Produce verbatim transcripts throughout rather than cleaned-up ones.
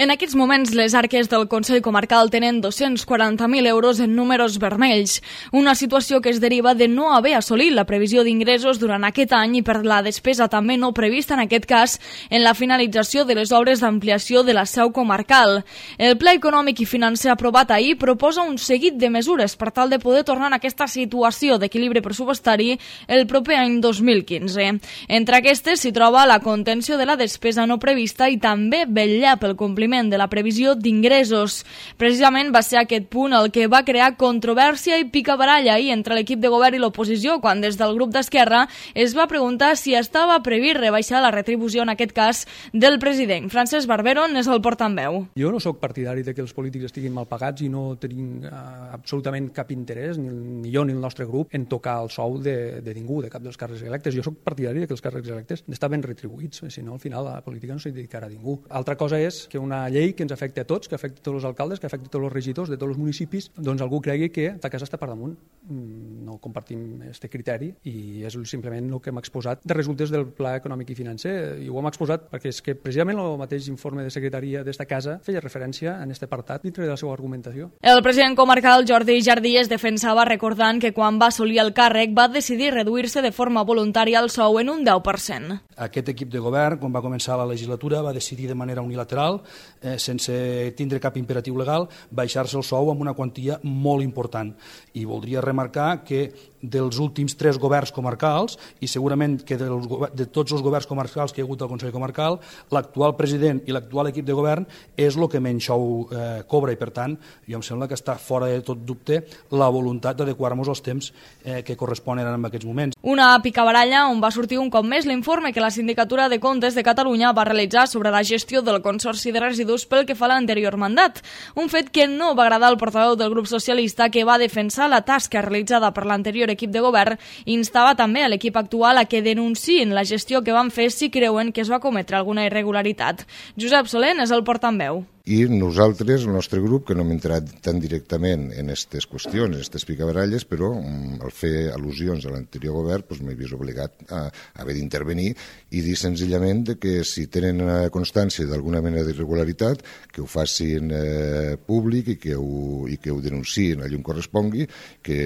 En aquests moments, les arques del Consell Comarcal tenen dos-cents quaranta mil euros en números vermells, una situació que es deriva de no haver assolit la previsió d'ingressos durant aquest any i per la despesa també no prevista, en aquest cas, en la finalització de les obres d'ampliació de la seu comarcal. El Pla Econòmic i Financer aprovat ahir proposa un seguit de mesures per tal de poder tornar a aquesta situació d'equilibri pressupostari el proper any dos mil quinze. Entre aquestes s'hi troba la contenció de la despesa no prevista i també vetllar pel compliment de la previsió d'ingressos. Precisament va ser aquest punt el que va crear controvèrsia i picabaralla ahir entre l'equip de govern i l'oposició, quan des del grup d'Esquerra es va preguntar si estava previst rebaixar la retribució, en aquest cas, del president. Francesc Barbero n'és el portaveu. Jo no sóc partidari de que els polítics estiguin mal pagats i no tenim uh, absolutament cap interès, ni, ni jo ni el nostre grup, en tocar el sou de, de ningú, de cap dels càrrecs electes. Jo sóc partidari de que els càrrecs electes estan ben retribuïts, si no, al final la política no s'hi dedicarà a ningú. Altra cosa és que una llei que ens afecta a tots, que afecta a tots els alcaldes, que afecta a tots els regidors de tots els municipis, doncs algú cregui que ta casa està per damunt. No compartim aquest criteri i és simplement el que hem exposat de resultes del Pla Econòmic i Financer, i ho hem exposat perquè és que precisament el mateix informe de secretaria d'esta casa feia referència en aquest apartat dintre de la seva argumentació. El president comarcal Jordi Jardí es defensava recordant que quan va assolir el càrrec va decidir reduir-se de forma voluntària el sou en un deu per cent. Aquest equip de govern, quan va començar la legislatura, va decidir de manera unilateral, eh, sense tindre cap imperatiu legal, baixar-se el sou amb una quantia molt important. I voldria remarcar que dels últims tres governs comarcals, i segurament que dels, de tots els governs comarcals que hi ha hagut al Consell Comarcal, l'actual president i l'actual equip de govern és el que menys sou eh, cobra, i per tant, jo em sembla que està fora de tot dubte la voluntat d'adequar-nos als temps eh, que corresponen en aquests moments. Una picabaralla on va sortir un cop més l'informe que la Sindicatura de Comptes de Catalunya va realitzar sobre la gestió del Consorci de Residus pel que fa a l'anterior mandat, un fet que no va agradar al portaveu del grup socialista, que va defensar la tasca realitzada per l'anterior equip de govern i instava també a l'equip actual a que denunciïn la gestió que van fer si creuen que es va cometre alguna irregularitat. Josep Soler és el portaveu. I nosaltres, el nostre grup, que no hem entrat tan directament en aquestes qüestions, en aquestes picabaralles, però al fer al·lusions a l'anterior govern doncs m'he vist obligat a haver d'intervenir i dir senzillament que si tenen constància d'alguna mena d'irregularitat, que ho facin eh, públic i que ho, i que ho denunciïn allà on correspongui, que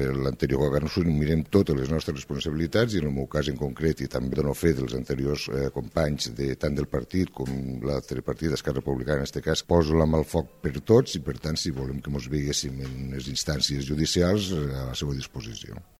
l'anterior govern us mirem totes les nostres responsabilitats i en el meu cas en concret, i també dono fe dels anteriors eh, companys de, tant del partit com l'altre partit d'Esquerra Republicana, en aquest cas, poso la mà al foc per tots i, per tant, si volem que ens veiéssim en les instàncies judicials, a la seva disposició.